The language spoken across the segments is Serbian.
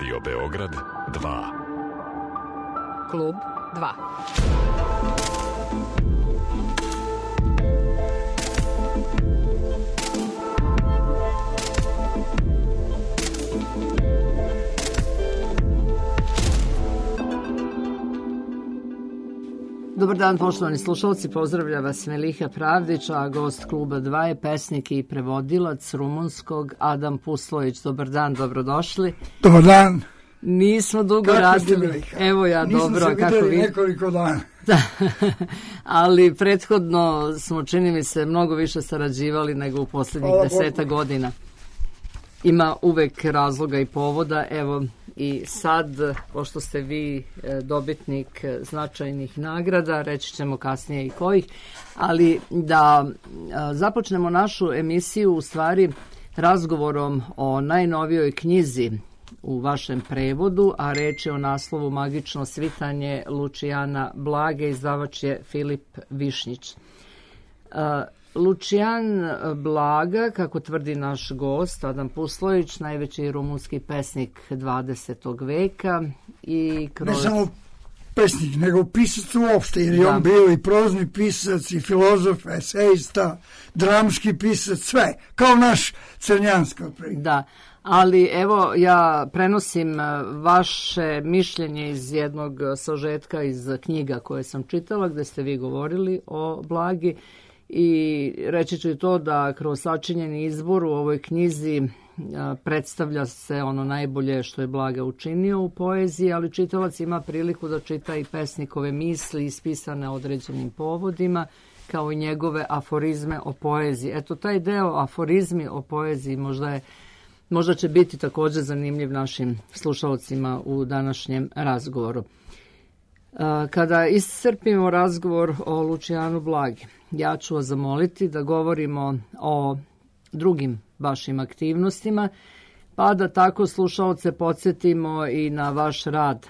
Radio Beograd 2. Klub 2. Dobar dan, poštovani slušalci, pozdravlja vas Meliha Pravdić, a gost Kluba 2 je pesnik i prevodilac rumunskog Adam Puslović. Dobar dan, dobrodošli. Dobar dan. Nismo dugo kako radili. Meliha? Evo ja, nisam dobro. Nisam se videli nekoliko dana. Da, ali prethodno smo, čini mi se, mnogo više sarađivali nego u posljednjih 10 godina. Ima uvek razloga i povoda, evo i sad, pošto ste vi dobitnik značajnih nagrada, reći ćemo kasnije i kojih, ali da započnemo našu emisiju u stvari razgovorom o najnovijoj knjizi u vašem prevodu, a reč je o naslovu Magično svitanje Lučijana Blage, izdavač je Filip Višnjić. Lučijan Blaga, kako tvrdi naš gost Adam Puslović, najveći rumunski pesnik 20. veka i kroz... Ne samo pesnik, nego pisac uopšte, jer je on bio i prozni pisac, i filozof, esejista, dramski pisac, sve, kao naš Crnjanski. Da, ali evo ja prenosim vaše mišljenje iz jednog sažetka iz knjiga koje sam čitala, gde ste vi govorili o Blagi. I reći ću i to da kroz sačinjeni izbor u ovoj knjizi predstavlja se ono najbolje što je Blaga učinio u poeziji, ali čitalac ima priliku da čita i pesnikove misli ispisane određenim povodima, kao i njegove aforizme o poeziji. Eto, taj deo aforizmi o poeziji možda će biti također zanimljiv našim slušalcima u današnjem razgovoru. Kada iscrpimo razgovor o Lučijanu Blagi, ja ću vas zamoliti da govorimo o drugim vašim aktivnostima, pa da tako slušalce podsjetimo i na vaš rad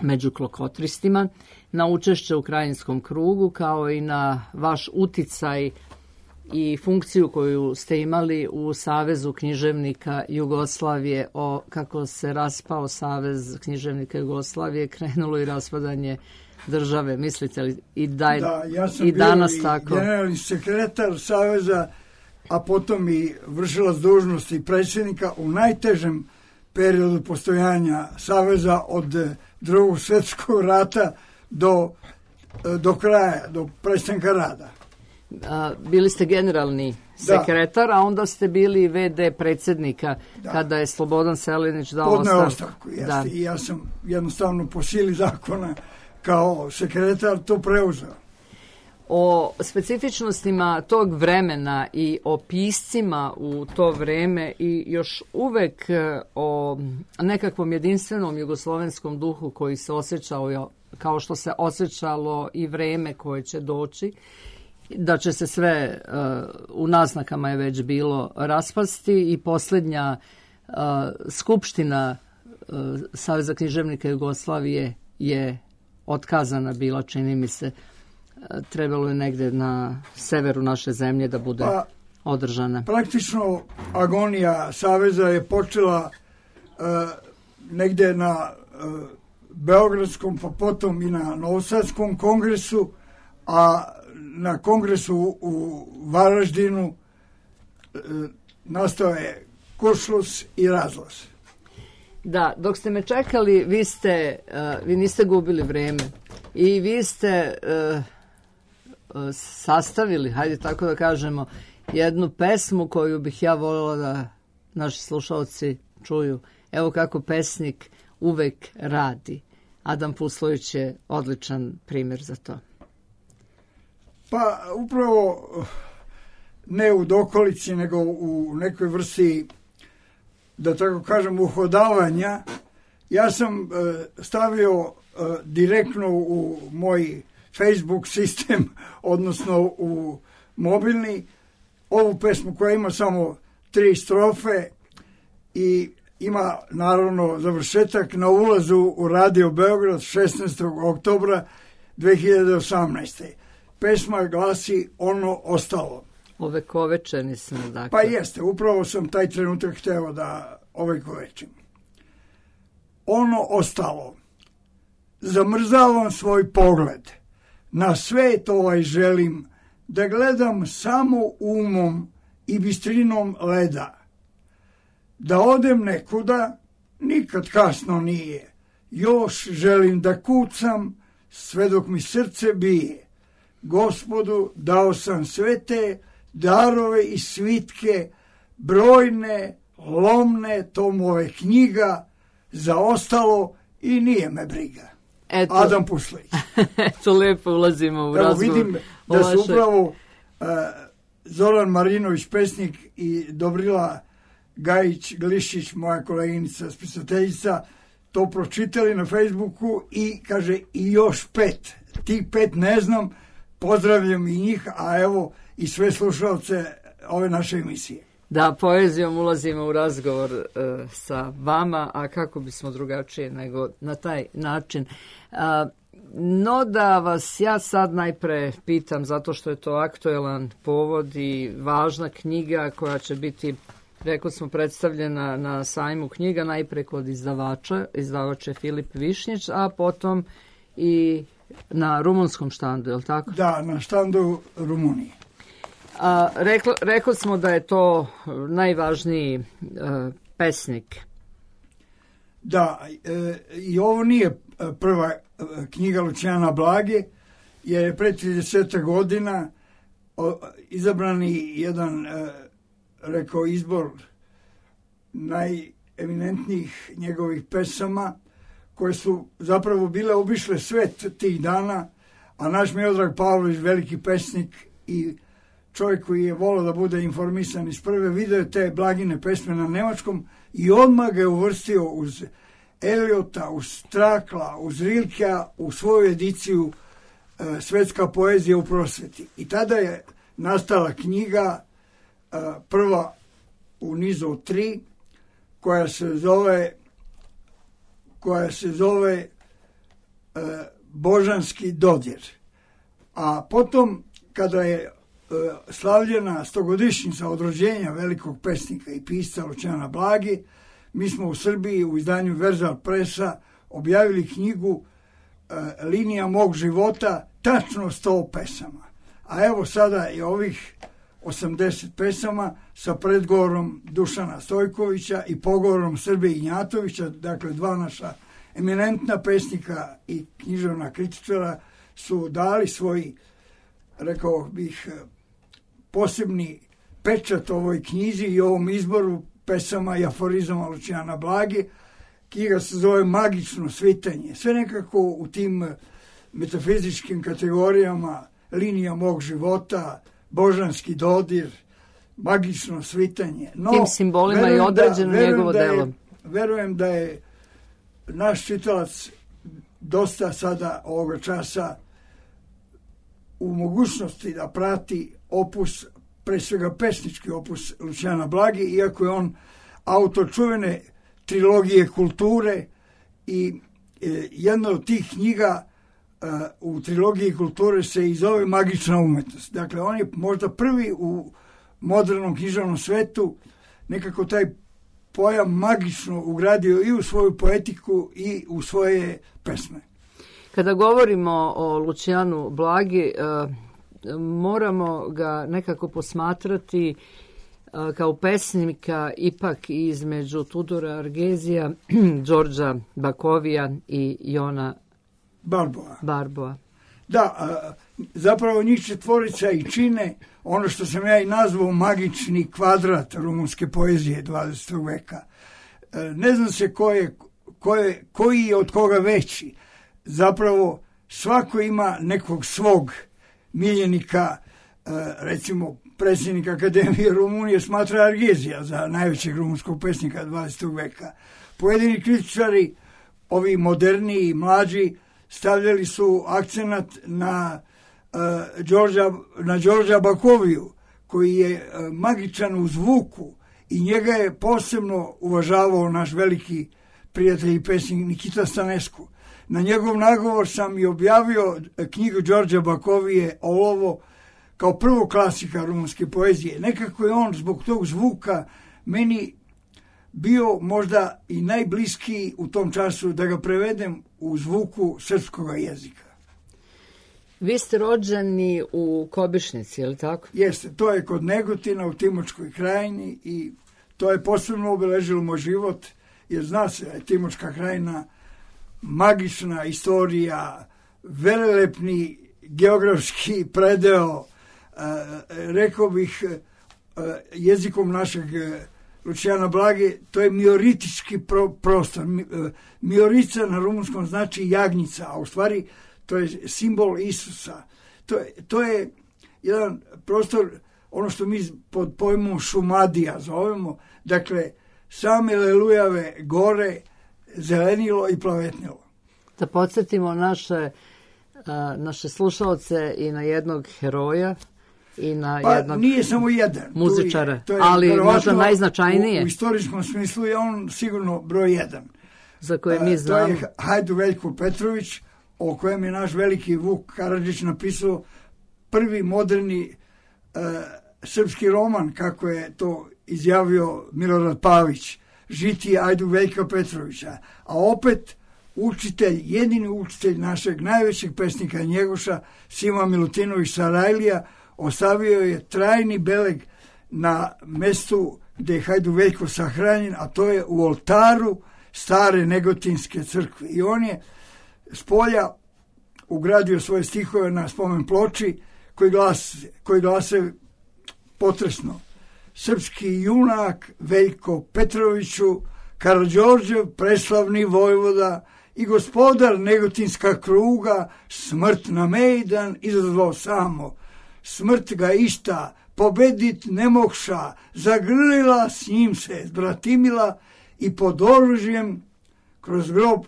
među klokotristima, na učešće u Krajinskom krugu, kao i na vaš uticaj i funkciju koju ste imali u Savezu književnika Jugoslavije. Kako se raspao Savez književnika Jugoslavije, krenulo i raspadanje države. Mislite li ja sam i bio danas i tako? Generalni sekretar Saveza, a potom i vršilac dužnosti predsjednika u najtežem periodu postojanja Saveza od Drugog svjetskog rata do kraja, do prestanka rada. Bili ste generalni sekretar, a onda ste bili VD predsjednika kada je Slobodan Selinić dao ostavku. I ja sam jednostavno po sili zakona kao sekretar to preuzeo. O specifičnostima tog vremena i o piscima u to vreme i još uvek o nekakvom jedinstvenom jugoslovenskom duhu koji se osjećao kao što se osjećalo i vreme koje će doći, da će se sve u naznakama je već bilo raspasti i posljednja skupština Saveza književnika Jugoslavije je otkazana bila, čini mi se. Trebalo je negde na severu naše zemlje da bude održana. Praktično agonija Saveza je počela negde na Beogradskom, pa potom i na Novosadskom kongresu, a na kongresu u Varaždinu nastao je kuršlus i razlaz. Da, dok ste me čekali, vi niste gubili vreme i vi ste sastavili, hajde tako da kažemo, jednu pesmu koju bih ja voljela da naši slušalci čuju. Evo kako pesnik uvek radi. Adam Puslović je odličan primjer za to. Pa upravo ne u dokolici, nego u nekoj vrsti, da tako kažem, uhodavanja. Ja sam stavio direktno u moj Facebook sistem, odnosno u mobilni, ovu pesmu koja ima samo 3 strofe i ima naravno završetak na ulazu u Radio Beograd 16. oktobra 2018. Pesma glasi Ono ostalo. Ovekovečeni smo, dakle. Pa jeste, upravo sam taj trenutak hteo da ovekovečim. ono ostalo. Zamrzavam svoj pogled. Na svet želim da gledam samo umom i bistrinom leda. Da odem nekuda, nikad kasno nije. Još želim da kucam, sve dok mi srce bije. Gospodu dao sam sve te darove i svitke, brojne, lomne tomove knjiga, za ostalo i nije me briga. Eto, Adam Puslić. Eto, lepo ulazimo u razgovor. Vidim da su upravo Zoran Marinović, pesnik, i Dobrila Gajić-Glišić, moja koleginica spisateljica, to pročitali na Facebooku i kaže i još 5. Tih 5 ne znam, pozdravljam i njih, a evo i sve slušalce ove naše emisije. Da, poezijom ulazimo u razgovor sa vama, a kako bismo drugačije nego na taj način. No da vas ja sad najpre pitam, zato što je to aktuelan povod i važna knjiga koja će biti, rekao smo, predstavljena na sajmu knjiga, najpre kod izdavača, izdavač je Filip Višnjić, a potom i na rumunskom štandu, je li tako? Da, na štandu Rumunije. Rekli smo da je to najvažniji pesnik. Da, i ovo nije prva knjiga Lucijana Blage, jer je pre 30 godina izabrani jedan, rekao, izbor najeminentnijih njegovih pesama, koje su zapravo bile obišle svet tih dana, a naš Miodrag Pavlović, veliki pesnik i čovjek koji je volio da bude informisan iz prve, video te Blagine pesme na nemačkom i odmah ga je uvrstio uz Eliota, uz Strakla, uz Rilkea u svoju ediciju Svetska poezija u prosveti. I tada je nastala knjiga, prva u nizu od 3, koja se zove Božanski dodir. A potom, kada je slavljena 100-godišnjica od rođenja velikog pesnika i pisca Lucijana Blage, mi smo u Srbiji u izdanju Verzal Presa objavili knjigu Linija mog života, tačno 100 pesama. A evo sada je ovih 80 pesama sa predgovorom Dušana Stojkovića i pogovorom Srbe Ignjatovića, dakle 2 naša eminentna pesnika i književna kritičara su dali svoj, rekao bih, posebni pečat ovoj knjizi i ovom izboru pesama i aforizama Lucijana Blage. Knjiga se zove Magično svitanje. Sve nekako u tim metafizičkim kategorijama: Linija mog života, Božanski dodir, Magično svitanje. No, tim simbolima je određeno njegovo delo. Verujem da je naš čitalac dosta sada ovoga časa u mogućnosti da prati opus, pre svega pesnički opus Lucijana Blage, iako je on autor čuvene trilogije kulture i jedna od tih knjiga u trilogiji kulture se i zove Magična umetnost. Dakle, on je možda prvi u modernom književnom svetu nekako taj pojam magično ugradio i u svoju poetiku i u svoje pesme. Kada govorimo o Lucijanu Blagi, moramo ga nekako posmatrati kao pesnika ipak između Tudora Argezija, Đorđa Bakovija i Jona Barboa. Da, zapravo njih četvorica i čine ono što sam ja i nazvao magični kvadrat rumunske poezije 20. veka. Ne znam se koji je od koga veći. Zapravo svako ima nekog svog miljenika, recimo predsjednik Akademije Rumunije smatra Argezija za najvećeg rumunskog pesnika 20. veka. Pojedini kritičari, ovi moderniji i mlađi, stavljali su akcenat na Đorđa Bakoviju, koji je magičan u zvuku i njega je posebno uvažavao naš veliki prijatelj i pesnik Nikita Stanescu. Na njegov nagovor sam i objavio knjigu Đorđa Bakovije Olovo kao prvo klasika rumunske poezije. Nekako je on zbog tog zvuka meni bio možda i najbliskiji u tom času da ga prevedem u zvuku srpskog jezika. Vi ste rođeni u Kobišnici, je li tako? Jeste, to je kod Negotina u Timočkoj krajini i to je posebno obeležilo moj život, jer zna se, Timočka krajina, magična istorija, velelepni geografski predeo, rekao bih jezikom našeg Lučijana Blage, to je mioritički prostor. Miorica na rumunskom znači jagnjica, a u stvari to je simbol Isusa. To je jedan prostor, ono što mi pod pojmom Šumadija zovemo, dakle, same Lelujave gore, zelenilo i plavetnilo. Da podsjetimo naše slušalce i na jednog heroja i na jednog nije samo jedan muzičara, to je ali možda najznačajnije. U istorijskom smislu je on sigurno broj 1. Za koje mi znamo. To je Hajdu Veljko Petrović, o kojem je naš veliki Vuk Karadžić napisao prvi moderni srpski roman, kako je to izjavio Milorad Pavić, Žitije Ajdu Veljka Petrovića. A opet učitelj, jedini učitelj našeg najvećeg pesnika Njegoša, Sima Milutinović Sarajlija, ostavio je trajni beleg na mestu gde je Hajdu Veljko sahranjen, a to je u oltaru stare Negotinske crkve. I on je s polja ugradio svoje stihove na spomen ploči koji glase potresno: srpski junak Veljko Petroviću, Karađorđev preslavni vojvoda i gospodar Negotinska kruga, smrt na mejdan izazvao samo. Smrt ga išta pobedit ne mogša, zagrlila s njim se zbratimila i pod oružjem kroz grob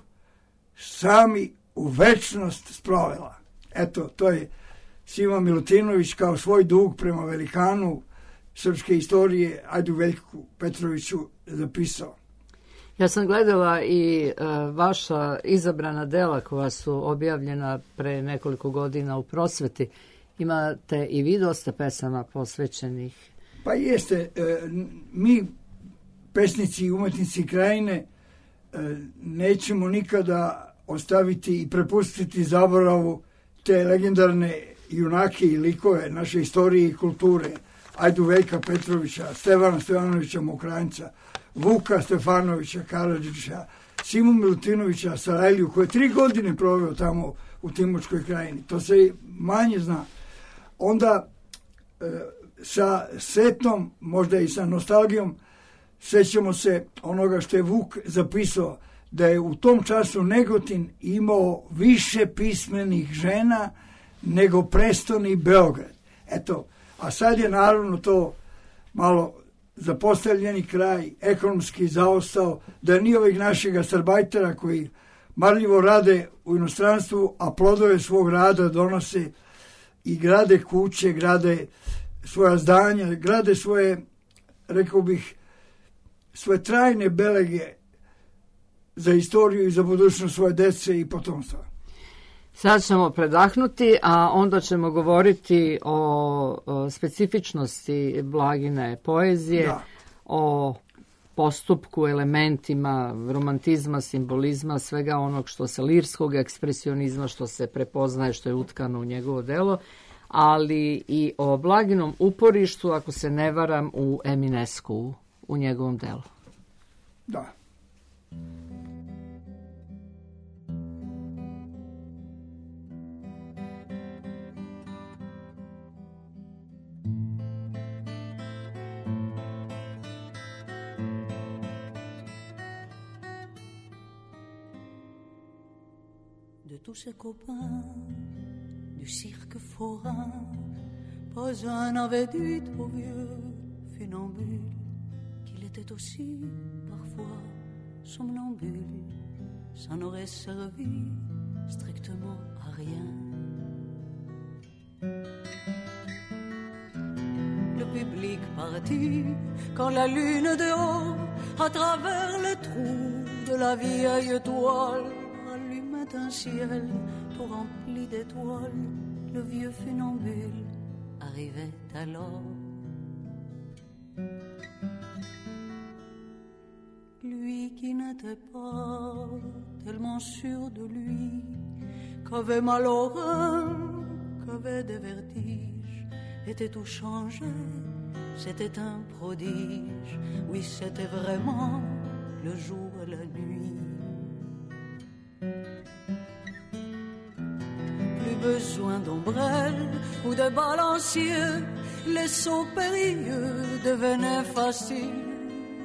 sami u večnost sprovela. Eto, to je Sima Milutinović kao svoj dug prema velikanu srpske istorije Ajdu Veljku Petroviću zapisao. Ja sam gledala i vaša izabrana dela koja su objavljena pre nekoliko godina u Prosveti. Imate i vi dosta pesama posvećenih. Pa jeste, mi pesnici i umetnici krajine nećemo nikada ostaviti i prepustiti zaboravu te legendarne junake i likove naše istorije i kulture. Ajdu Veljka Petrovića, Stevana Stevanovića Mokranjca, Vuka Stefanovića Karadžića, Simu Milutinovića Sarajliju, koji je 3 godine proveo tamo u Timočkoj krajini. To se manje zna. Onda sa setom, možda i sa nostalgijom, sećamo se onoga što je Vuk zapisao, da je u tom času Negotin imao više pismenih žena nego prestoni Beograd. Eto, a sad je naravno to malo zapostavljeni kraj, ekonomski zaostao, da nije ovih naših gastarbajtera koji marljivo rade u inostranstvu, a plodove svog rada donose i grade kuće, grade svoja zdanja, grade svoje, rekao bih, svoje trajne belege za istoriju i za budućnost svoje dece i potomstva. Sad ćemo predahnuti, a onda ćemo govoriti o specifičnosti Blagine poezije, da. O postupku, elementima romantizma, simbolizma, svega onog što se lirskog ekspresionizma, što se prepoznaje, što je utkano u njegovo delo, ali i o Blaginom uporištu, ako se ne varam, u Eminescu, u njegovom delu. Da. De tous ses copains du cirque forain, pas un n'avait dit au vieux funambule qu'il était aussi parfois somnambule. Ça n'aurait servi strictement à rien. Le public partit quand la lune de haut, à travers le trou de la vieille toile, un ciel tout rempli d'étoiles. Le vieux funambule arrivait alors. n'était pas tellement sûr de lui, qu'avait mal au rein, qu'avait des vertiges, était tout changé, c'était un prodige. Oui, c'était vraiment le jour et la nuit. Plus besoin d'ombrelles ou de balanciers, les sauts périlleux devenaient faciles.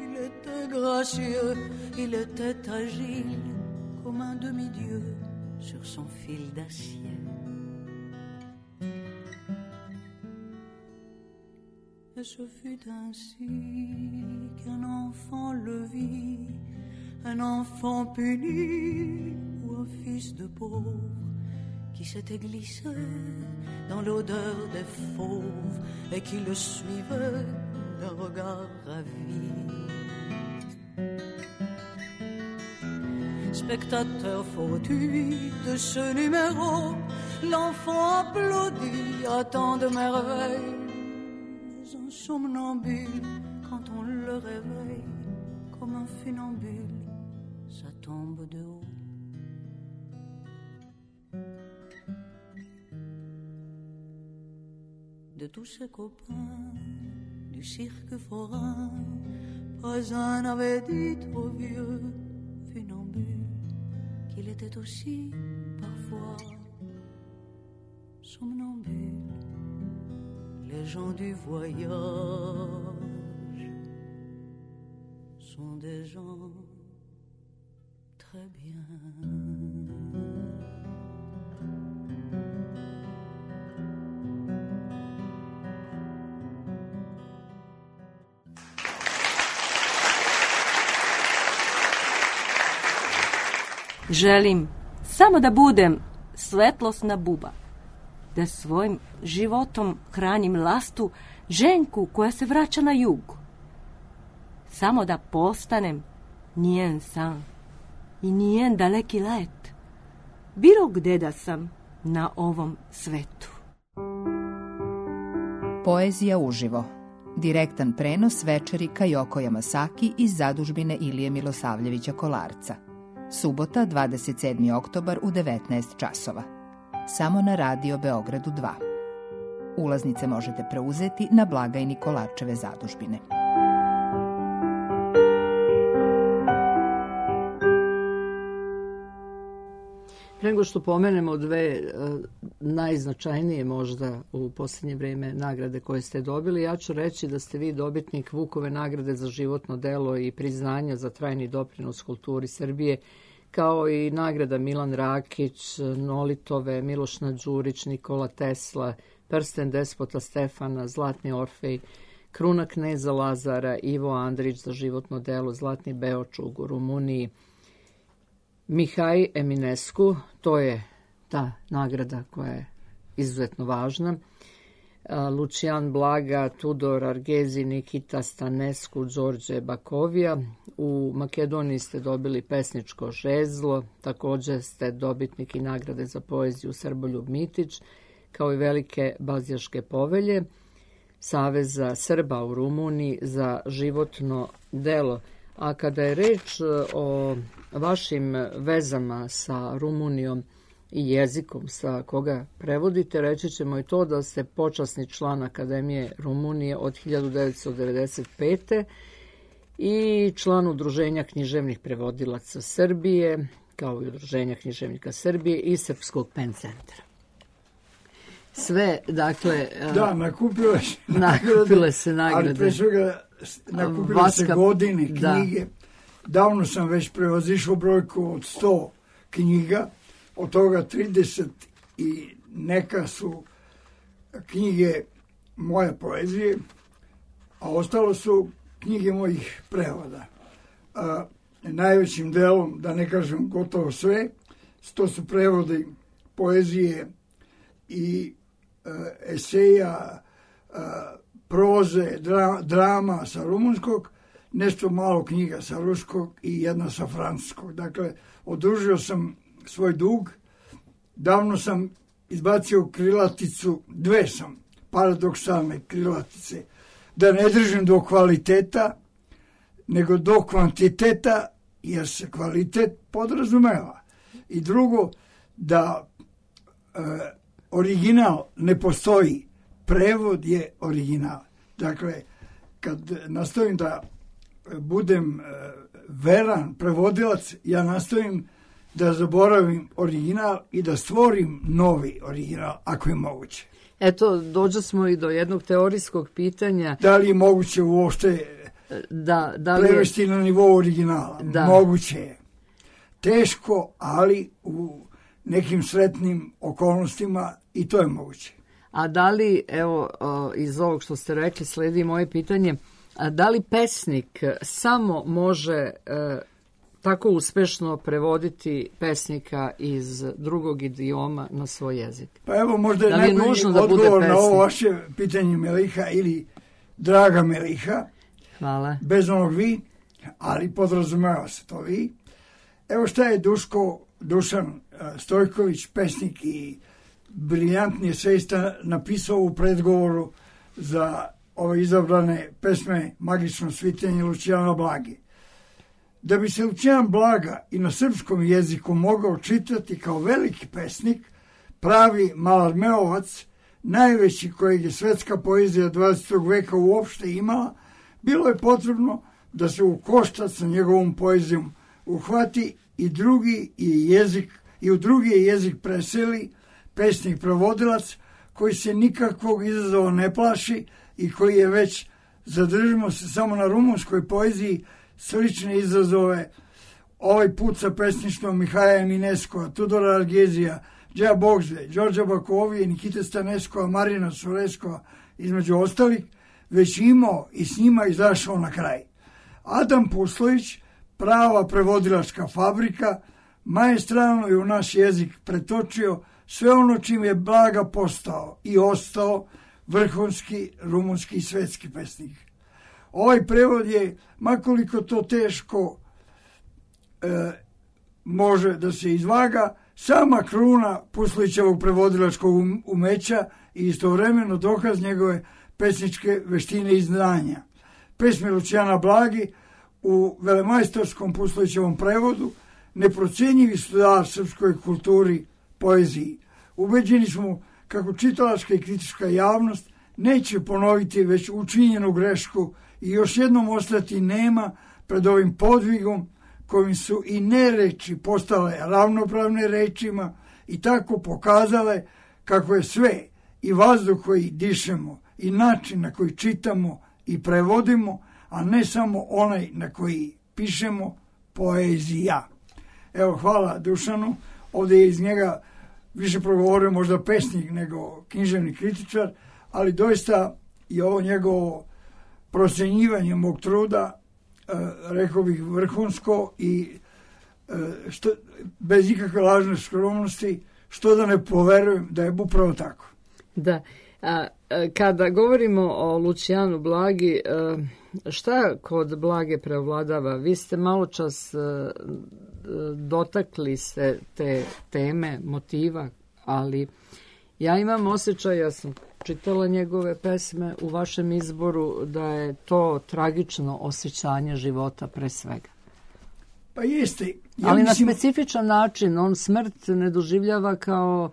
Il était gracieux, il était agile, comme un demi-dieu sur son fil d'acier. Et ce fut ainsi qu'un enfant le vit, un enfant puni ou un fils de pauvre qui s'était glissé dans l'odeur des fauves et qui le suivait d'un regard ravi. Spectateur fortuit de ce numéro, l'enfant applaudit à tant de merveilles. Mais un somnambule, quand on le réveille, comme un funambule, ça tombe de haut. De tous ses copains du cirque forain, pas un n'avait dit au vieux funambule qu'il était aussi parfois somnambule. Les gens du voyage sont des gens très bien. Želim samo da budem svetlosna buba, da svojim životom hranim lastu ženku koja se vraća na jug. Samo da postanem njen san i njen daleki let, bilo gde da sam na ovom svetu. Poezija uživo. Direktan prenos večeri Kajoko Yamasaki iz zadužbine Ilije Milosavljevića Kolarca. Subota, 27. oktobar u 19 časova. Samo na Radio Beogradu 2. Ulaznice možete preuzeti na blagajni Kolarčeve zadužbine. Pre nego što pomenemo dve najznačajnije možda u posljednje vrijeme nagrade koje ste dobili, ja ću reći da ste vi dobitnik Vukove nagrade za životno delo i priznanja za trajni doprinos kulturi Srbije, kao i nagrada Milan Rakić, Nolitove, Miloš Đurić, Nikola Tesla, Prsten despota Stefana, Zlatni Orfej, Kruna kneza Lazara, Ivo Andrić za životno delo, Zlatni Beočug u Rumuniji, Mihaj Eminescu, to je ta nagrada koja je izuzetno važna, Lucijan Blaga, Tudor Argezi, Nikita Stanescu, Đorđe Bakovija. U Makedoniji ste dobili pesničko žezlo, također ste dobitnik i nagrade za poeziju Srboljub Mitić, kao i velike Bazijaške povelje, Saveza Srba u Rumuniji za životno delo. A kada je reč o vašim vezama sa Rumunijom i jezikom sa koga prevodite, reći ćemo i to da ste počasni član Akademije Rumunije od 1995. i član Udruženja književnih prevodilaca Srbije, kao i Udruženja književnika Srbije i Srpskog pen centra. Sve, dakle... Da, nakupile se nagrade. Ali pre svega nakupile se godine, knjige. Da. Davno sam već prevazišao brojku od 100 knjiga, od toga 30 i neka su knjige moje poezije, a ostalo su knjige mojih prevoda. Najvećim delom, da ne kažem gotovo sve, to su prevodi poezije i eseja, proze, drama sa rumunskog, nešto malo knjiga sa ruskog i jedna sa francuskog. Dakle, odužio sam svoj dug. Davno sam izbacio krilaticu, dve sam paradoksalne krilatice, da ne držim do kvaliteta, nego do kvantiteta jer se kvalitet podrazumeva. I drugo, da original ne postoji, prevod je original. Dakle, kad nastojim da budem veran prevodilac, ja nastojim da zaboravim original i da stvorim novi original, ako je moguće. Eto, dođe smo i do jednog teorijskog pitanja. Da li je moguće uopšte prevesti na nivou originala? Da. Moguće je. Teško, ali u nekim sretnim okolnostima i to je moguće. A da li, evo, iz ovog što ste rekli, sledi moje pitanje, da li pesnik samo može tako uspešno prevoditi pesnika iz drugog idioma na svoj jezik? Pa evo, možda je najbolji odgovor na ovo vaše pitanje, Meliha, ili draga Meliha. Hvala. Bez onog vi, ali podrazumeva se to vi. Evo šta je Dušan Stojković, pesnik i briljantni eseista, napisao u predgovoru za ove izabrane pesme Magično svitenje Lucijana Blage. Da bi se Lucijan Blaga i na srpskom jeziku mogao čitati kao veliki pesnik, pravi malarmeovac, najveći kojeg je svetska poezija 20. veka uopšte imala, bilo je potrebno da se u koštac sa njegovom poezijom uhvati i u drugi jezik preseli pesnik prevodilac koji se nikakvog izazova ne plaši i koji je već, zadržimo se samo na rumunskoj poeziji, slične izazove ovaj put sa pesništvom Mihaja Emineskova, Tudora Argezija, Đa Bogzve, Đorđa Bakovije, Nikite Staneskova, Marina Sureskova, između ostalih, već imao i s njima izašao na kraj. Adam Puslović, prava prevodilačka fabrika, maestralno je u naš jezik pretočio sve ono čim je Blaga postao i ostao vrhunski rumunski i svetski pesnik. Ovaj prevod je, makoliko to teško može da se izvaga, sama kruna Puslićevog prevodilačkog umeća i istovremeno dokaz njegove pesničke veštine i znanja. Pesme Lucijana Blagi u velemajstorskom Puslićevom prevodu neprocenjivi su dar srpskoj kulturi, poeziji. Ubeđeni smo kako čitalačka i kritička javnost neće ponoviti već učinjenu grešku i još jednom ostati nema pred ovim podvigom kojim su i nereči postale ravnopravne rečima i tako pokazale kako je sve, i vazduh koji dišemo i način na koji čitamo i prevodimo, a ne samo onaj na koji pišemo, poezija. Evo, hvala Dušanu, ovdje je iz njega više progovorio možda pesnik nego književni kritičar, ali doista je ovo njegovo procenjivanje mog truda, rekao bih vrhunsko i bez ikakve lažne skromnosti, što da ne poverujem da je upravo tako. Da. Kada govorimo o Lucijanu Blagi, šta kod Blage preovladava? Vi ste malo čas dotakli se te teme, motiva, ali ja imam osjećaj, ja sam čitala njegove pesme u vašem izboru, da je to tragično osjećanje života pre svega. Pa jeste. Ali na specifičan način, on smrt ne doživljava kao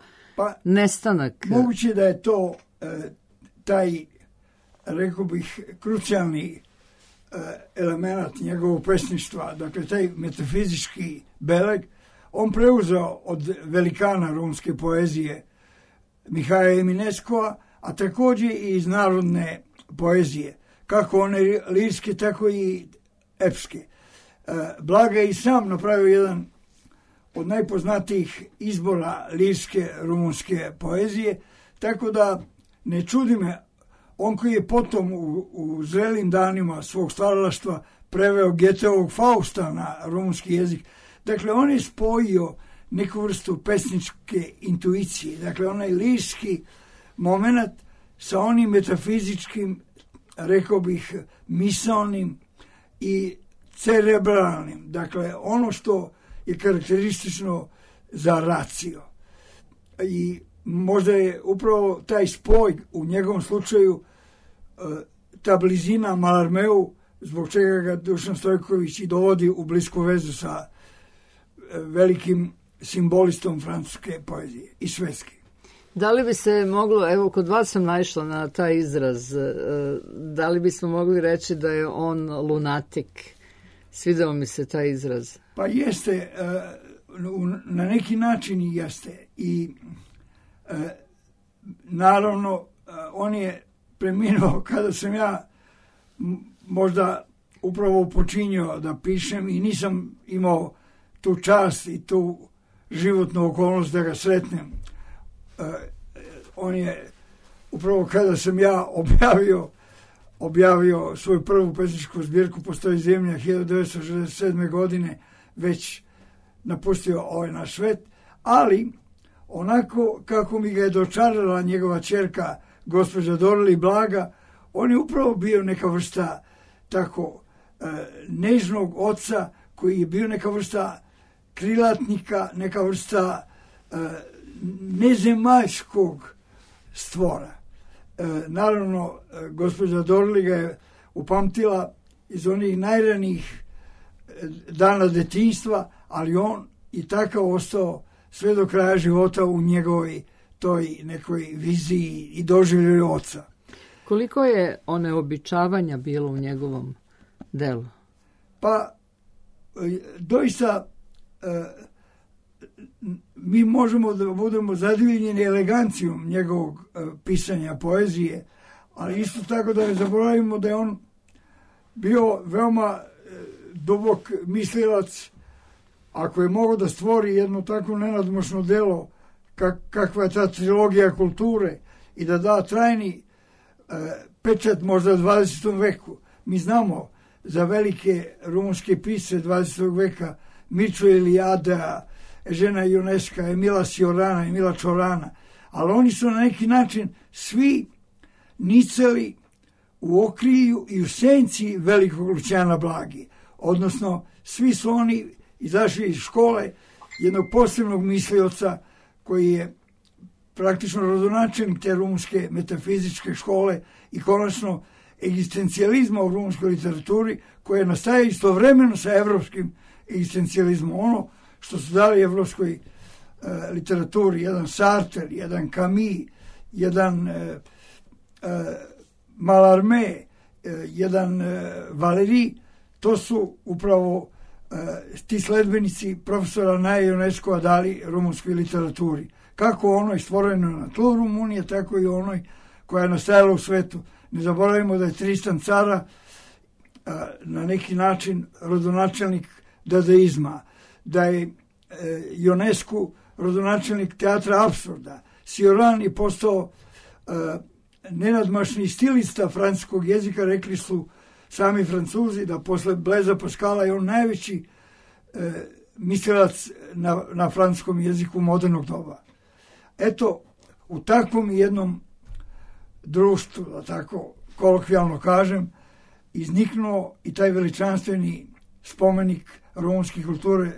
nestanak. Moguće da je to taj, rekao bih, krucijalni element njegovog pesništva, dakle taj metafizički beleg, on preuzeo od velikana romske poezije Mihaja Emineskova, a također i iz narodne poezije, kako one lirske, tako i epske. Blaga je i sam napravio jedan od najpoznatijih izbora lirske rumunske poezije, tako da ne čudi me, on koji je potom u zrelim danima svog stvaralaštva preveo Goetheovog Fausta na rumunski jezik. Dakle, on je spojio neku vrstu pesničke intuicije, dakle onaj lirski moment sa onim metafizičkim, rekao bih, misalnim i cerebralnim, dakle ono što je karakteristično za racio. I možda je upravo taj spoj u njegovom slučaju, ta blizina Malarmeu zbog čega ga Dušan Stojković i dovodi u blisku vezu sa velikim simbolistom francuske poezije i švedske. Da li bi se moglo, evo kod vas sam naišla na taj izraz, da li bismo mogli reći da je on lunatik? Svidao mi se taj izraz. Pa jeste, na neki način i jeste. I naravno, on je preminuo kada sam ja možda upravo počinio da pišem i nisam imao tu čast i tu životnu okolnost da ga sretnem. On je upravo kada sam ja objavio svoju prvu pesničku zbirku Postoji zemlja 1967. godine, već napustio ovaj naš svet, ali onako kako mi ga je dočarala njegova ćerka gospođa Dorli Blaga, on je upravo bio neka vrsta tako nežnog oca koji je bio neka vrsta krilatnika, neka vrsta nezemaljskog stvora. Naravno, gospođa Dorli ga je upamtila iz onih najranijih dana detinjstva, ali on i takav ostao sve do kraja života u njegovoj toj nekoj viziji i doživljaju oca. Koliko je oneobičavanja bilo u njegovom delu? Pa, doista mi možemo da budemo zadivljeni elegancijom njegovog pisanja poezije, ali isto tako da ne zaboravimo da je on bio veoma dubok mislilac. Ako je mogao da stvori jedno tako nenadmošno delo kakva je ta trilogija kulture i da da trajni pečat možda u 20. veku. Mi znamo za velike rumunske pisce 20. veka Miču Elijada, Ežena Ionesca, Emila Ciorana, Emila Čorana, ali oni su na neki način svi nicali u okrilju i u senci velikog Lucijana Blagi. Odnosno, svi su oni izašli iz škole jednog posebnog mislioca koji je praktično rodonačelnik te rumunske metafizičke škole i konačno egzistencijalizma u rumunskoj literaturi koja nastaje istovremeno sa evropskim egzistencijalizmom. Ono što su dali evropskoj literaturi, jedan Sartre, jedan Camus, jedan Mallarmé, jedan Valéry, to su upravo ti sledbenici profesora Naja Ionescova dali rumunskoj literaturi. Kako onoj stvorenoj na tlu Rumunije, tako i onoj koja je nastajala u svetu. Ne zaboravimo da je Tristan Cara na neki način rodonačelnik dadaizma, da je Ionescu rodonačelnik teatra apsurda. Cioran je postao nenadmašni stilista francuskog jezika, rekli su sami Francuzi da posle Blaisa Pascala je on najveći mislilac na francuskom jeziku modernog doba. Eto, u takvom jednom društvu, da tako kolokvijalno kažem, izniknuo i taj veličanstveni spomenik rumunske kulture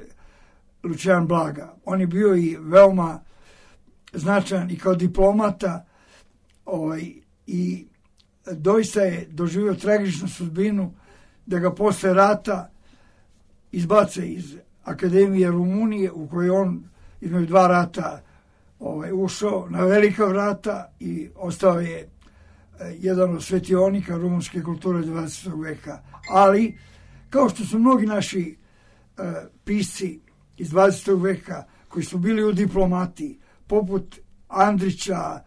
Lucijan Blaga. On je bio i veoma značajan i kao diplomata i doista je doživio tragičnu sudbinu da ga posle rata izbace iz Akademije Rumunije u kojoj on između dva rata ušao na velika vrata i ostao je jedan od svetionika rumunske kulture 20. veka. Ali, kao što su mnogi naši pisci iz 20. veka koji su bili u diplomatiji, poput Andrića,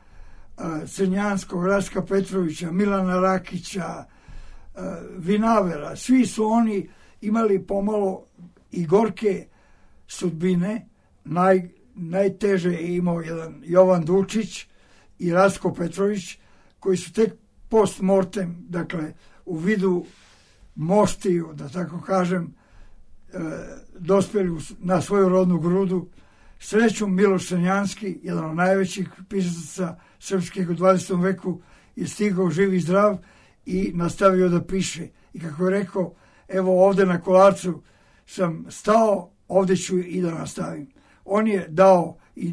Crnjanskog, Raska Petrovića, Milana Rakića, Vinavera, svi su oni imali pomalo i gorke sudbine. Najteže je imao jedan Jovan Dučić i Rasko Petrović, koji su tek post mortem, dakle u vidu moštiju, da tako kažem, dospeli na svoju rodnu grudu. Srećom Miloš Crnjanski, jedan od najvećih pisaca srpskih u 20. veku, je stigao živ i zdrav i nastavio da piše. I kako je rekao, evo ovde na Kolarcu sam stao, ovde ću i da nastavim. On je dao i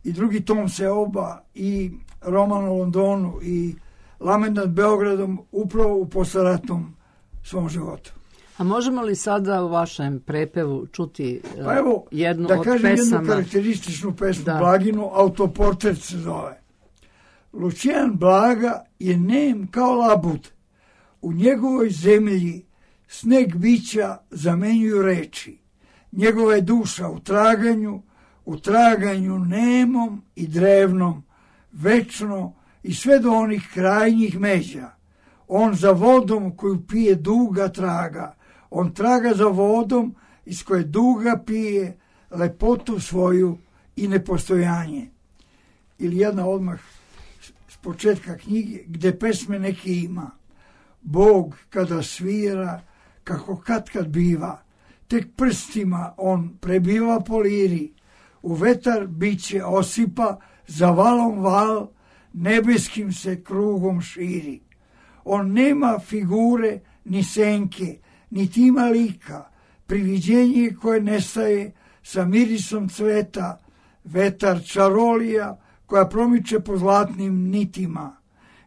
drugi tom Seoba i roman o Londonu i Lament nad Beogradom upravo u posleratnom svom životu. A možemo li sada u vašem prepevu čuti Pa evo, jednu da od kažem pesama? jednu karakterističnu pesmu Da. Blaginu, Autoportret se zove. Lucijan Blaga je nem kao labud. U njegovoj zemlji sneg bića zamenjuju reči. Njegova je duša u traganju nemom i drevnom, večno i sve do onih krajnjih međa. On za vodom koju pije duga traga. On traga za vodom iz koje duga pije lepotu svoju i nepostojanje. Ili jedna odmah s početka knjige, gde pesme neke ima. Bog kada svira, kako kad biva, tek prstima on prebiva po liri, u vetar biće osipa, za valom val, nebeskim se krugom širi. On nema figure, ni senke, niti ima lika, priviđenje koje nestaje sa mirisom cveta, vetar čarolija koja promiče po zlatnim nitima,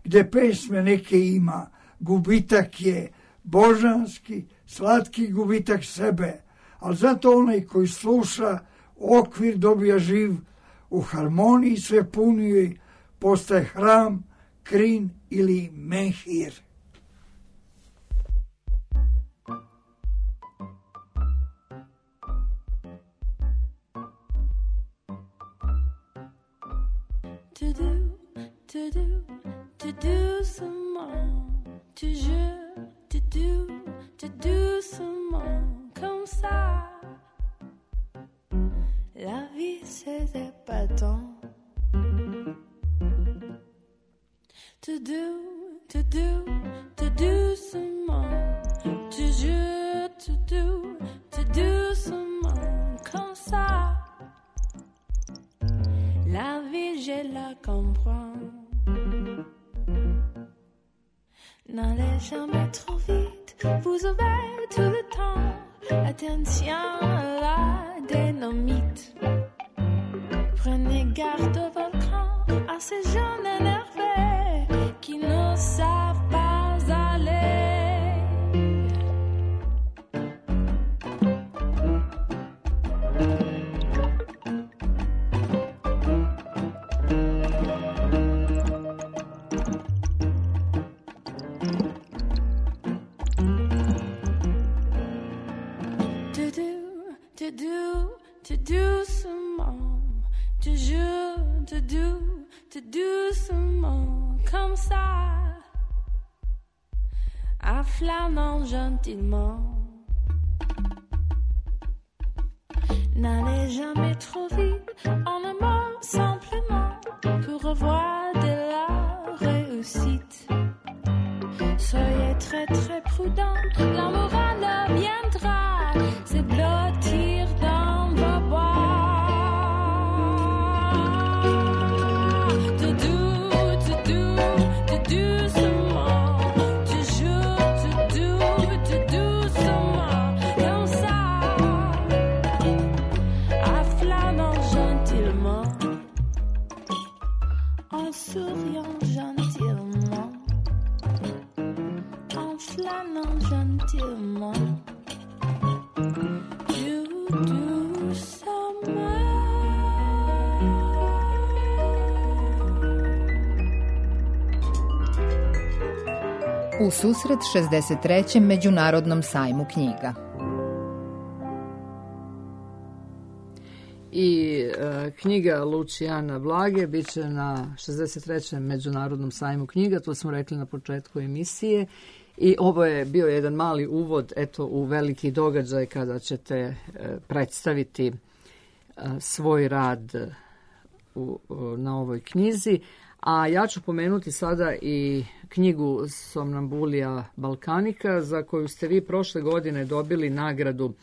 gde pesme neke ima, gubitak je božanski, slatki gubitak sebe, ali zato onaj koji sluša okvir dobija živ, u harmoniji sve puniji postaje hram, krin ili menhir. Doucement, doucement, comme ça. La vie c'est épatant. Tout doucement, tout doucement, comme ça. La vie je la comprends. N'allez jamais trop vite, vous avez tout le temps. Attention à la dynamite. Prenez garde au volcan, à ces jeunes énervés qui ne savent pas aller. Tout doucement, tout doucement, comme ça, en flânant gentiment. N'allez jamais trop vite, en un mot simplement, pour revoir de la réussite. Soyez très très prudent, la morale viendra se blottir dans vos bois. Souriant gentiment, en flânant gentiment, U susret 63. Međunarodnom sajmu knjiga. I knjiga Lucijana Blage bit će na 63. Međunarodnom sajmu knjiga, to smo rekli na početku emisije. I ovo je bio jedan mali uvod u veliki događaj kada ćete predstaviti svoj rad na ovoj knjizi. A ja ću pomenuti sada i knjigu Somnambulija Balkanika, za koju ste vi prošle godine dobili nagradu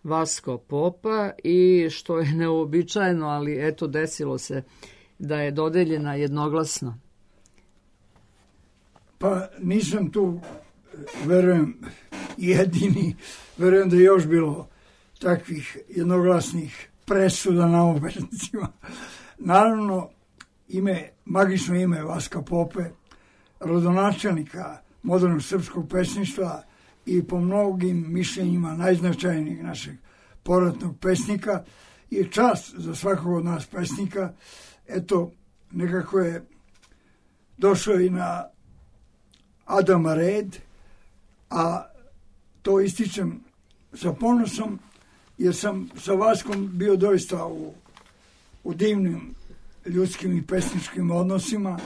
Vasko Popa i što je neobičajeno, ali desilo se da je dodeljena jednoglasno. Pa nisam tu, verujem, jedini, verujem da je još bilo takvih jednoglasnih presuda na obveznicima. Naravno, magično ime Vaska Pope, rodonačelnika modernog srpskog pesništva, i po mnogim mišljenjima najznačajnijeg našeg poratnog pesnika je čast za svakog od nas pesnika. Eto, nekako je došao i na Adama red, a to ističem sa ponosom, jer sam sa Vaskom bio doista u divnim ljudskim i pesničkim odnosima.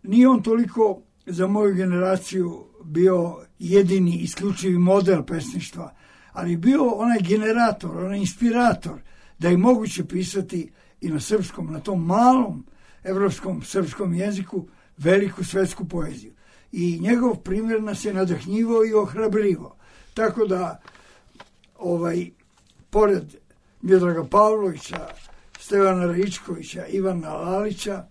Nije on toliko za moju generaciju bio jedini isključivi model pesništva, ali bio onaj generator, onaj inspirator da je moguće pisati i na srpskom, na tom malom evropskom srpskom jeziku veliku svetsku poeziju. I njegov primjer nas je nadahnjivao i ohrabrivao. Tako da, pored Miodraga Pavlovića, Stevana Raičkovića, Ivana Lalića,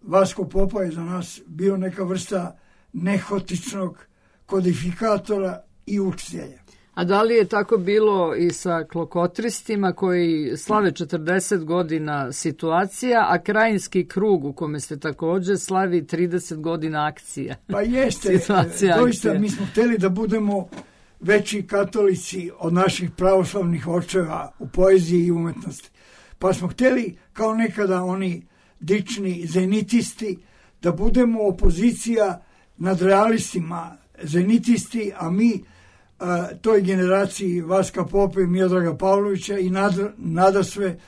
Vasko Popa je za nas bio neka vrsta nehotičnog kodifikatora i učitelja. A da li je tako bilo i sa klokotristima koji slave 40 godina situacija, a Krajinski krug u kome ste također slavi 30 godina akcija? Pa jeste, doista mi smo htjeli da budemo veći katolici od naših pravoslavnih očeva u poeziji i umetnosti. Pa smo htjeli, kao nekada oni dični zenitisti, da budemo opozicija nad realistima, zenitisti, a mi toj generaciji Vaska Pope i Miodraga Pavlovića i nadasve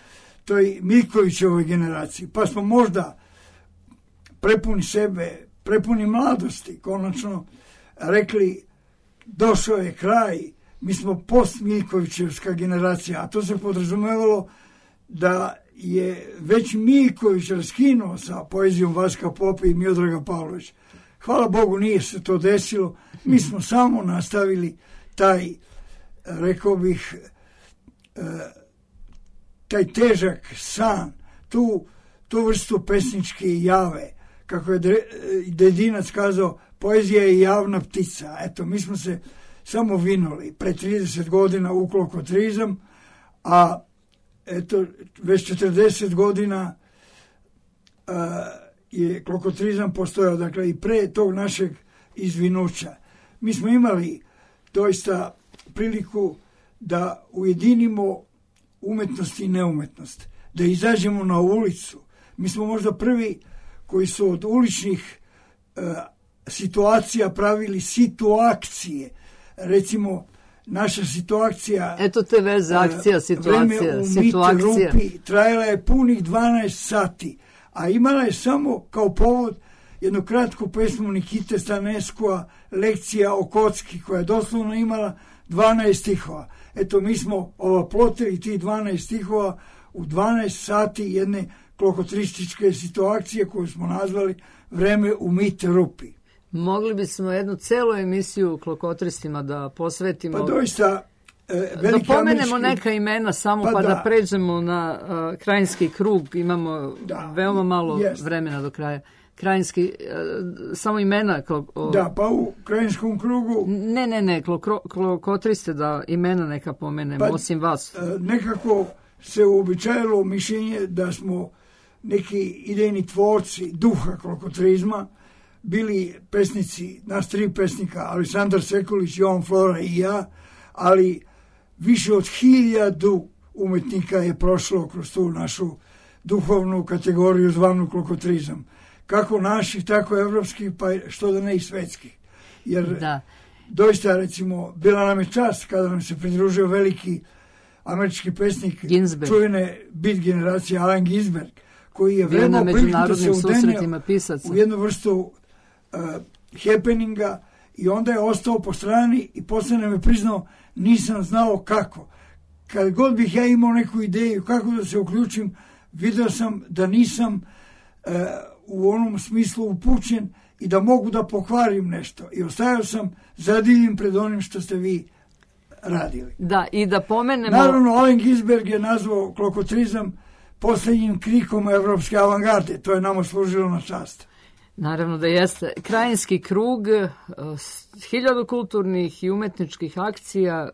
toj Miljkovićevoj generaciji. Pa smo možda prepuni sebe, prepuni mladosti, konačno rekli došao je kraj, mi smo post-Miljkovićevska generacija, a to se podrazumevalo da je već Miljković raskinuo sa poezijom Vaska Pope i Miodraga Pavlovića. Hvala Bogu, nije se to desilo. Mi smo samo nastavili taj, rekao bih, taj težak san, tu vrstu pesničke jave. Kako je Dedinac kazao, poezija je javna ptica. Eto, mi smo se samo vinuli pre 30 godina u klokotrizam, a eto, već 40 godina je klokotrizam postojao, dakle i pre tog našeg izvinuća. Mi smo imali doista priliku da ujedinimo umetnost i neumetnost, da izađemo na ulicu. Mi smo možda prvi koji su od uličnih situacija pravili situacije. Recimo, naša situacija... Eto te veze, akcija, situacija. Vreme u Mit Rupi trajala je punih 12 sati, a imala je samo kao povod jednu kratku pesmu Nikite Staneskova, Lekcija o kocki, koja je doslovno imala 12 stihova. Eto, mi smo oplotili ti 12 stihova u 12 sati jedne klokotrističke situacije koju smo nazvali Vreme u Mit Rupi. Mogli bismo jednu celu emisiju klokotristima da posvetimo. Pa doista... Da pomenemo neka imena samo pa da pređemo na Krajinski krug. Imamo veoma malo vremena do kraja. Krajinski, samo imena. Da, pa u Krajinskom krugu... Ne, klokotriste da imena neka pomenemo, osim vas. Nekako se uobičajilo mišljenje da smo neki idejni tvorci duha klokotrizma, bili pesnici, nas 3 pesnika, Aleksandar Sekulić, Jovan Flora i ja, ali više od 1000 umetnika je prošlo kroz tu našu duhovnu kategoriju zvanu klokotrizam. Kako naših, tako evropskih, pa što da ne i svetskih. Jer doista, recimo, bila nam je čast kada nam se pridružio veliki američki pesnik čuvene beat generacije Allen Ginsberg, koji je veoma priliku da se udenio u jednu vrstu happeninga i onda je ostao po strani i posle nam je priznao nisam znao kako. Kad god bih ja imao neku ideju kako da se uključim, vidio sam da nisam u onom smislu upućen i da mogu da pokvarim nešto. I ostajao sam zadivljen pred onim što ste vi radili. Da, i da pomenemo... Naravno, Allen Ginsberg je nazvao klokotrizam posljednjim krikom evropske avangarde. To je nama služilo na čast. Naravno da jeste. Krajinski krug, 1000 kulturnih i umetničkih akcija,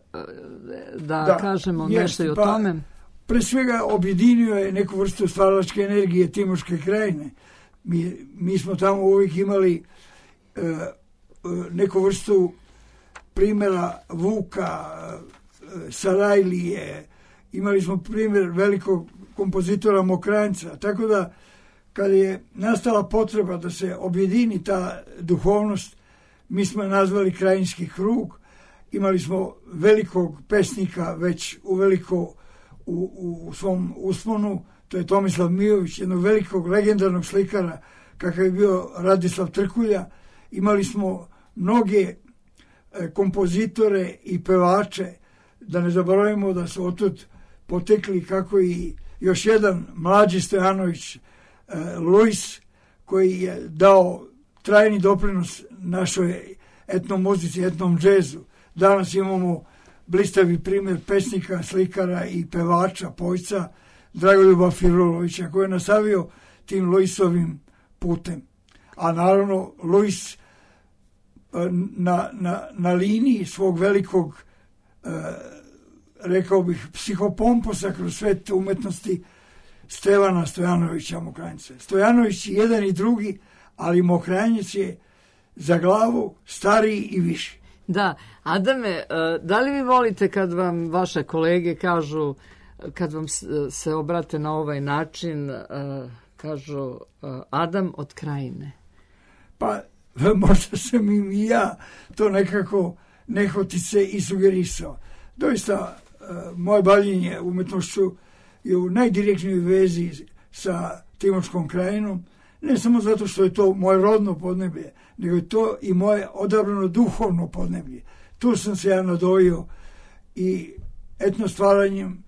da kažemo nešto i o tome. Pre svega objedinio je neku vrstu stvaralačke energije Timoške krajine. Mi smo tamo uvijek imali neku vrstu primjera Vuka, Sarajlije, imali smo primjer velikog kompozitora Mokranjca, tako da kad je nastala potreba da se objedini ta duhovnost, mi smo je nazvali Krajinski krug. Imali smo velikog pesnika već uveliko u svom usponu, to je Tomislav Mijović, jednog velikog legendarnog slikara kakav je bio Radislav Trkulja. Imali smo mnoge kompozitore i pevače, da ne zaboravimo da su otud potekli kako i još jedan mlađi Stojanović, Luis, koji je dao trajni doprinos našoj etnomuzici, etnom džezu. Danas imamo blistavi primjer pesnika, slikara i pevača, pojca Dragoljuba Firulovića, koji je nastavio tim Luisovim putem. A naravno, Luis na liniji svog velikog, rekao bih, psihopomposa kroz svet umetnosti Stevana Stojanovića Mokranjca. Stojanović je jedan i drugi, ali Mokranjac je za glavu stariji i viši. Da, Adame, da li vi volite kad vam vaše kolege kažu, kad vam se obrate na ovaj način, kažu Adam od Krajine? Pa možda sam im i ja to nekako nehotice i sugerisao. Doista, moje bavljenje umetnošću je u najdirektnijoj vezi sa Timočkom krajinom, ne samo zato što je to moje rodno podneblje, nego je to i moje odabrano duhovno podneblje. Tu sam se ja nadojio i etno stvaranjem,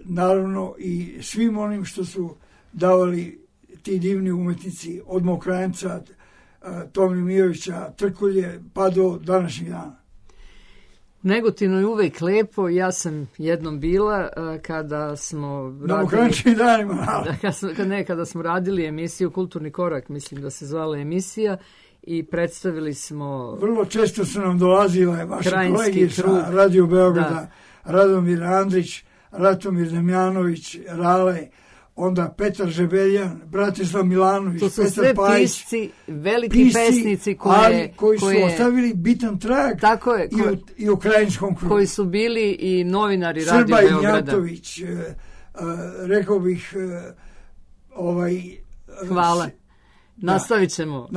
naravno i svim onim što su davali ti divni umetnici od Mokranjca, Tomi Mijovića, Trkulje, pa do današnjih dana. U Negotinu je uvek lepo. Ja sam jednom bila kada smo kada smo radili emisiju Kulturni korak, mislim da se zvala emisija, i predstavili smo... Vrlo često su nam dolazile vaše kolege sa Radio Beograda, Radomir Andrić, Ratomir Damjanović, Rale, onda Petar Žebeljan, Bratislav Milanović, to su Petar sve Pajić, pisci, veliki pesnici koji su ostavili bitan trag i u krajinskom krugu. Koji su bili i novinari Radio Srba Beograda. Srba Ignjatović, rekao bih Hvala. Nastavit ćemo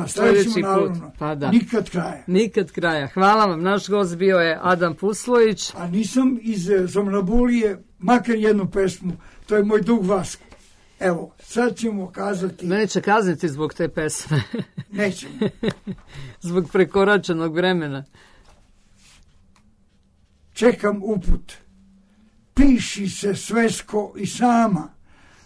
naravno. Pa da. Nikad kraja. Nikad kraja. Hvala vam. Naš gost bio je Adam Puslović. A nisam iz Somnambulije makar jednu pesmu. To je moj dug Vasko. Evo, sad ćemo kazati... Neće kazniti zbog te pesme. Nećemo. Zbog prekoračenog vremena. Čekam uput. Piši se svesko i sama.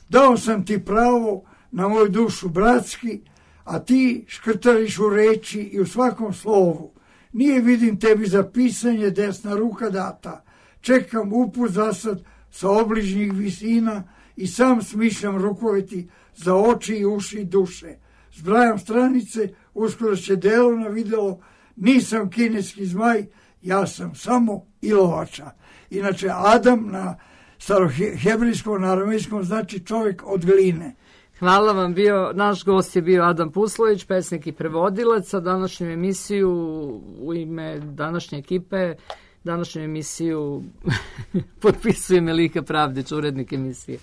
Dao sam ti pravo na moju dušu bratski, a ti škrtariš u reči i u svakom slovu. Nije vidim tebi za pisanje desna ruka data. Čekam uput zasad sa obližnjih visina i sam smišljam rukoveti za oči i uši i duše. Zbrajam stranice, uskoro će delo na video, nisam kineski zmaj, ja sam samo ilovača. Inače, Adam na starohebrejskom, na aramejskom znači čovjek od gline. Hvala vam. Naš gost je bio Adam Puslović, pesnik i prevodilac. Za današnju emisiju u ime današnje ekipe, današnju emisiju potpisuje Melika Pravdić, urednik emisije.